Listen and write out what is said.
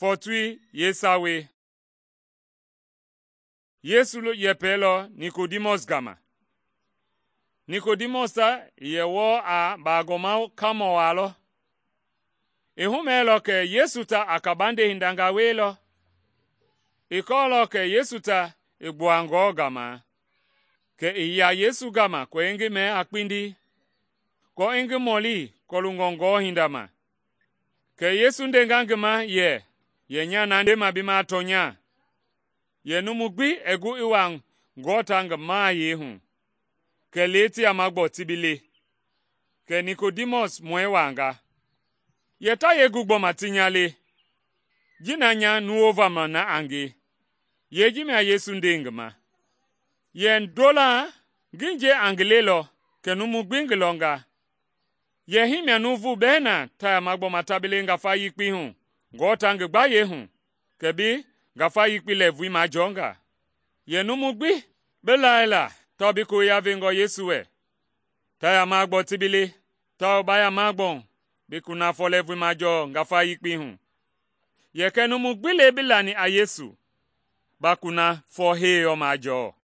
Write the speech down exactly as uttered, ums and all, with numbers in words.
Fɔɔtoi yeesawei. Yesu yɛpɛlɔ Nikodimɔs gama. Nikodimɔs i yɛ wɔɔ a baagɔma kamɔ waa lɔ. I humɛɛlɔ kɛ Yesu ta a kabande hindanga wielɔ. I kɔɔlɔ kɛ Yesu ta i gbua ngɔɔ gama, kɛ i ya Yesu gama kɛ i ngi mɛ a kpindi, aako i ngi mɔli kɔloongɔ ngɔɔ hinda ma. Kɛ Yesu ndenga ngi ma yɛ, “Yɛ nya na ndema bi ma tɔnya, yɛ numu gbi ɛɛ gu i wa ngɔɔ ta ngi mahayɛi hu, kɛlee ti yama gbɔ ti bi le.” Kɛ Nikodimɔs mɔi wanga, “Yɛ ta yee gu gbɔma ti nya le? Ji na nya nuwova na a nge.” Yee ji mia Yesu nde ngi ma. “Yɛ ndolaa ngi nje a ngi lelɔ kɛ numu gbi ngi lɔnga. Yɛ hii mia nuuvu bɛɛ na ta yama gbɔma ta bi le ngafa yekpei hu ngɔɔ ta ngi gbayei hu, kɛ bi ngafa yekpei lɛɛvui majɔɔnga. Yɛ numu gbi bi laila tawao bi koya vengɔ Yesu wɛ, ta yama gbɔ ti bi le, tawao ba yama gbɔ bi kunafɔ lɛɛvui majɔɔ ngafa yekpei hu. Yɛ kɛ numu gbi le bi lani a Yesu, ba kunafɔ heyɔ majɔɔ.”